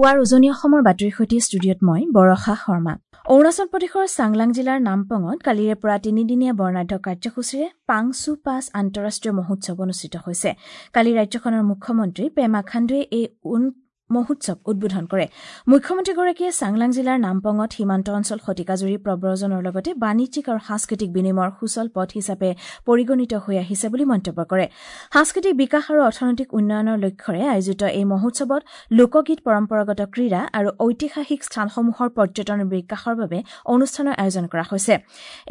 পুৱাৰ উজনি অসমৰ বাতৰিৰ সৈতে ষ্টুডিঅ'ত মই বৰষা শৰ্মা। অৰুণাচল প্ৰদেশৰ চাংলাং জিলাৰ নামপঙত কালিৰে পৰা তিনিদিনীয়া বৰ্ণাঢ্য কাৰ্যসূচীৰে পাংচু পাছ আন্তঃৰাষ্ট্ৰীয় মহোৎসৱ অনুষ্ঠিত হৈছে। কালি ৰাজ্যখনৰ মুখ্যমন্ত্ৰী পেমা খাণ্ডুৱে এই মহোৎসৱ উদ্বোধন কৰে। মুখ্যমন্ত্ৰীগৰাকীয়ে চাংলাং জিলাৰ নামপঙত সীমান্ত অঞ্চল শতিকাজুৰি প্ৰব্ৰজনৰ লগতে বাণিজ্যিক আৰু সাংস্কৃতিক বিনিময়ৰ সুচল পথ হিচাপে পৰিগণিত হৈ আহিছে বুলি মন্তব্য কৰে। সাংস্কৃতিক বিকাশ আৰু অৰ্থনৈতিক উন্নয়নৰ লক্ষ্যৰে আয়োজিত এই মহোৎসৱত লোকগীত, পৰম্পৰাগত ক্ৰীড়া আৰু ঐতিহাসিক স্থানসমূহৰ পৰ্যটনৰ বিকাশৰ বাবে অনুষ্ঠানৰ আয়োজন কৰা হৈছে।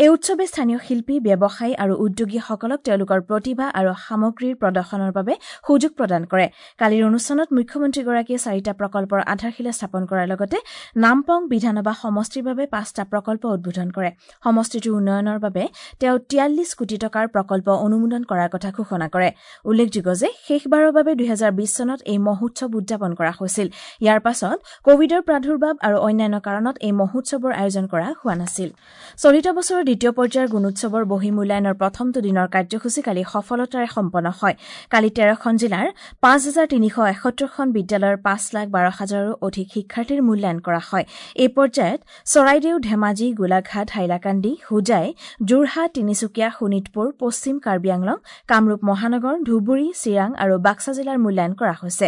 এই উৎসৱে স্থানীয় শিল্পী, ব্যৱসায়ী আৰু উদ্যোগীসকলক তেওঁলোকৰ প্ৰতিভা আৰু সামগ্ৰীৰ প্ৰদৰ্শনৰ বাবে সুযোগ প্ৰদান কৰে। কালিৰ অনুষ্ঠানত মুখ্যমন্ত্ৰীগৰাকীয়ে 4টা প্ৰকল্পৰ আধাৰশিলা স্থাপন কৰাৰ লগতে নামপং বিধানসভা সমষ্টিৰ বাবে 5টা প্ৰকল্প উদ্বোধন কৰে। সমষ্টিটোৰ উন্নয়নৰ বাবে তেওঁ 43 কোটি টকাৰ প্ৰকল্প অনুমোদন কৰাৰ কথা ঘোষণা কৰে। উল্লেখযোগ্য যে শেষবাৰৰ বাবে 2020 চনত এই মহোৎসৱ উদযাপন কৰা হৈছিল। ইয়াৰ পাছত কভিডৰ প্ৰাদুৰ্ভাৱ আৰু অন্যান্য কাৰণত এই মহোৎসৱৰ আয়োজন কৰা হোৱা নাছিল। চলিত বছৰৰ দ্বিতীয় পৰ্যায়ৰ গুণোৎসৱৰ বহিঃমূল্যায়নৰ প্ৰথমটো দিনৰ কাৰ্যসূচী কালি সফলতাৰে সম্পন্ন হয়। কালি 13খন জিলাৰ 5371খন বিদ্যালয়ৰ 5,12,000ৰো অধিক শিক্ষাৰ্থীৰ মূল্যায়ন কৰা হয়। এই পৰ্যায়ত চৰাইদেউ, ধেমাজি, গোলাঘাট, হাইলাকান্দি, হোজাই, যোৰহাট, তিনিচুকীয়া, শোণিতপুৰ, পশ্চিম কাৰ্বি আংলং, কামৰূপ মহানগৰ, ধুবুৰী, চিৰাং আৰু বাক্সা জিলাৰ মূল্যায়ন কৰা হৈছে।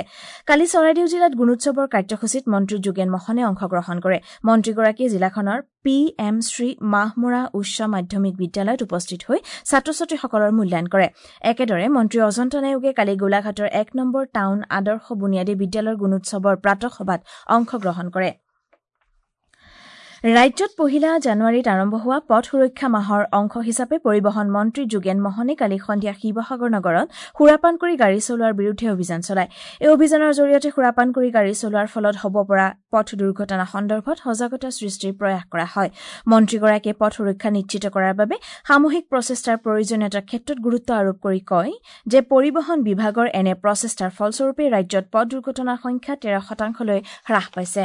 কালি চৰাইদেউ জিলাত গুণোৎসৱৰ কাৰ্যসূচীত মন্ত্ৰী যোগেন মহনে অংশগ্ৰহণ কৰে। মন্ত্ৰীগৰাকীয়ে জিলাখনৰ পি এম শ্ৰী মাহমৰা উচ্চ মাধ্যমিক বিদ্যালয়ত উপস্থিত হৈ ছাত্ৰ ছাত্ৰীসকলৰ মূল্যায়ন কৰে। একেদৰে মন্ত্ৰী অজন্তা নেওগে কালি গোলাঘাটৰ 1 নম্বৰ টাউন আদৰ্শ বুনিয়াদী বিদ্যালয়ৰ গুণোৎসৱৰ প্ৰাতঃসভাত অংশগ্ৰহণ কৰে। ৰাজ্যত 1 জানুৱাৰীত আৰম্ভ হোৱা পথ সুৰক্ষা মাহৰ অংশ হিচাপে পৰিবহণ মন্ত্ৰী যোগেন মহনে কালি সন্ধিয়া শিৱসাগৰ নগৰত সুৰাপান কৰি গাড়ী চলোৱাৰ বিৰুদ্ধে অভিযান চলায়। এই অভিযানৰ জৰিয়তে সুৰাপান কৰি গাড়ী চলোৱাৰ ফলত হ'ব পৰা পথ দুৰ্ঘটনা সন্দৰ্ভত সজাগতা সৃষ্টিৰ প্ৰয়াস কৰা হয়। মন্ত্ৰীগৰাকীয়ে পথ সুৰক্ষা নিশ্চিত কৰাৰ বাবে সামূহিক প্ৰচেষ্টাৰ প্ৰয়োজনীয়তাৰ ক্ষেত্ৰত গুৰুত্ব আৰোপ কৰি কয় যে পৰিবহণ বিভাগৰ এনে প্ৰচেষ্টাৰ ফলস্বৰূপে ৰাজ্যত পথ দুৰ্ঘটনাৰ সংখ্যা 13%লৈ হ্ৰাস পাইছে।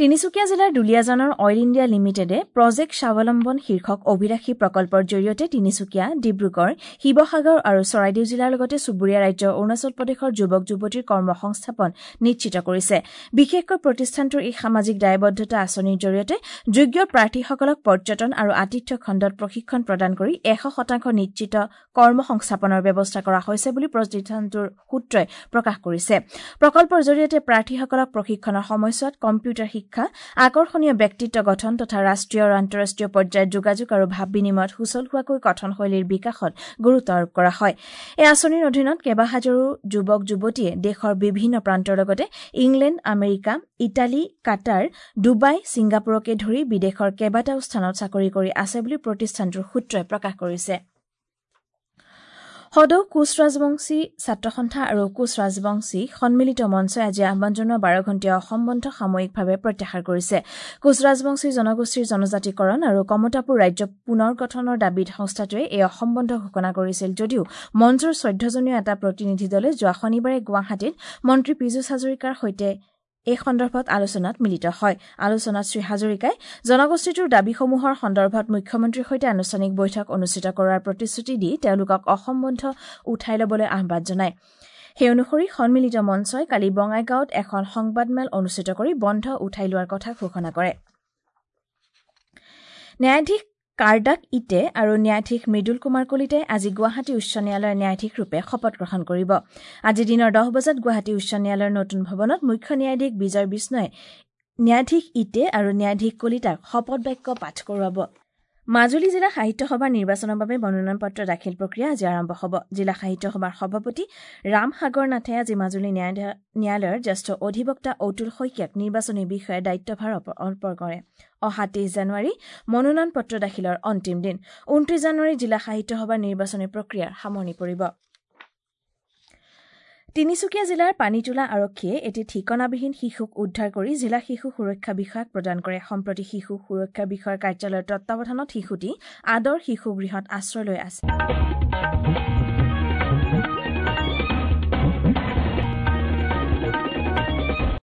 তিনিচুকীয়া জিলাৰ দুলীয়াজানৰ অইল ইণ্ডিয়া লিমিটেডে প্ৰজেক্ট স্বাৱলম্বন শীৰ্ষক অভিলাষী প্ৰকল্পৰ জৰিয়তে তিনিচুকীয়া, ডিব্ৰুগড়, শিৱসাগৰ আৰু চৰাইদেউ জিলাৰ লগতে চুবুৰীয়া ৰাজ্য অৰুণাচল প্ৰদেশৰ যুৱক যুৱতীৰ কৰ্মসংস্থাপন নিশ্চিত কৰিছে। বিশেষকৈ প্ৰতিষ্ঠানটোৰ এই সামাজিক দায়বদ্ধতা আঁচনিৰ জৰিয়তে যোগ্য প্ৰাৰ্থীসকলক পৰ্যটন আৰু আতিথ্য খণ্ডত প্ৰশিক্ষণ প্ৰদান কৰি 100% নিশ্চিত কৰ্মসংস্থাপনৰ ব্যৱস্থা কৰা হৈছে বুলি প্ৰতিষ্ঠানটোৰ সূত্ৰই প্ৰকাশ কৰিছে। প্ৰকল্পৰ জৰিয়তে প্ৰাৰ্থীসকলক প্ৰশিক্ষণৰ সময়ছোৱাত কম্পিউটাৰ শিক্ষা, আকৰ্ষণীয় ব্যক্তিত্ব গঠন তথা ৰাষ্ট্ৰীয় আৰু আন্তঃৰাষ্ট্ৰীয় পৰ্যায়ত যোগাযোগ আৰু ভাৱ বিনিময়ত সুচল হোৱাকৈ কথনশৈলীৰ বিকাশত গুৰুত্ব আৰোপ কৰা হয়। এই আঁচনিৰ অধীনত কেইবাহাজাৰো যুৱক যুৱতীয়ে দেশৰ বিভিন্ন প্ৰান্তৰ লগতে England, America, Italy, Qatar, Dubai, ছিংগাপুৰকে ধৰি বিদেশৰ কেইবাটাও স্থানত চাকৰি কৰি আছে বুলি প্ৰতিষ্ঠানটোৰ সূত্ৰই প্ৰকাশ কৰিছে। সদৌ কোচ ৰাজবংশী ছাত্ৰ সন্থা আৰু কোচ ৰাজবংশী সন্মিলিত মঞ্চই আজি আহ্বান জনোৱা 12 ঘণ্টীয়া অসম বন্ধ সাময়িকভাৱে প্ৰত্যাহাৰ কৰিছে। কোচ ৰাজবংশী জনগোষ্ঠীৰ জনজাতিকৰণ আৰু কমতাপুৰ ৰাজ্য পুনৰ গঠনৰ দাবীত সংস্থাটোৱে এই অসম বন্ধ ঘোষণা কৰিছিল যদিও মঞ্চৰ 14জনীয়া এটা প্ৰতিনিধি দলে যোৱা শনিবাৰে গুৱাহাটীত মন্ত্ৰী পীযুষ হাজৰিকাৰ সৈতে এই সন্দৰ্ভত আলোচনাত মিলিত হয়। আলোচনাত শ্ৰীহাজৰিকাই জনগোষ্ঠীটোৰ দাবীসমূহৰ সন্দৰ্ভত মুখ্যমন্ত্ৰীৰ সৈতে আনুষ্ঠানিক বৈঠক অনুষ্ঠিত কৰাৰ প্ৰতিশ্ৰুতি দি তেওঁলোকক অসম বন্ধ উঠাই ল'বলৈ আহ্বান জনায়। সেই অনুসৰি সন্মিলিত মঞ্চই কালি বঙাইগাঁৱত এখন সংবাদমেল অনুষ্ঠিত কৰি বন্ধ উঠাই লোৱাৰ কথা ঘোষণা কৰে। ন্যায়াধীশ কাৰ্ডাক ইটে আৰু ন্যায়াধীশ মৃদুল কুমাৰ কলিতাই আজি গুৱাহাটী উচ্চ ন্যায়ালয়ৰ ন্যায়াধীশৰূপে শপত গ্ৰহণ কৰিব। আজি দিনৰ 10 বজাত গুৱাহাটী উচ্চ ন্যায়ালয়ৰ নতুন ভৱনত মুখ্য ন্যায়াধীশ বিজয় বিষ্ণয়ে ন্যায়াধীশ ইটে আৰু ন্যায়াধীশ কলিতাক শপত বাক্য পাঠ কৰোৱাব। মাজুলী জিলা সাহিত্য সভাৰ নিৰ্বাচনৰ বাবে মনোনয়ন পত্ৰ দাখিল প্ৰক্ৰিয়া আজি আৰম্ভ হ'ব। জিলা সাহিত্য সভাৰ সভাপতি ৰাম সাগৰ নাথে আজি মাজুলী ন্যায়ালয়ৰ জ্যেষ্ঠ অধিবক্তা অতুল শইকীয়াক নিৰ্বাচনী বিষয়াৰ দায়িত্বভাৰ অৰ্পণ কৰে। অহা 23 জানুৱাৰী মনোনয়ন পত্ৰ দাখিলৰ অন্তিম দিন। 29 জানুৱাৰী জিলা সাহিত্য সভাৰ নিৰ্বাচনী প্ৰক্ৰিয়াৰ সামৰণি পৰিব। তিনিচুকীয়া জিলাৰ পানীতোলা আৰক্ষীয়ে এটি ঠিকনাবিহীন শিশুক উদ্ধাৰ কৰি জিলা শিশু সুৰক্ষা বিষয়াক প্ৰদান কৰে। সম্প্ৰতি শিশু সুৰক্ষা বিষয়াৰ কাৰ্যালয়ৰ তত্বাৱধানত শিশুটি আদৰ শিশু গৃহত আশ্ৰয় লৈ আছে।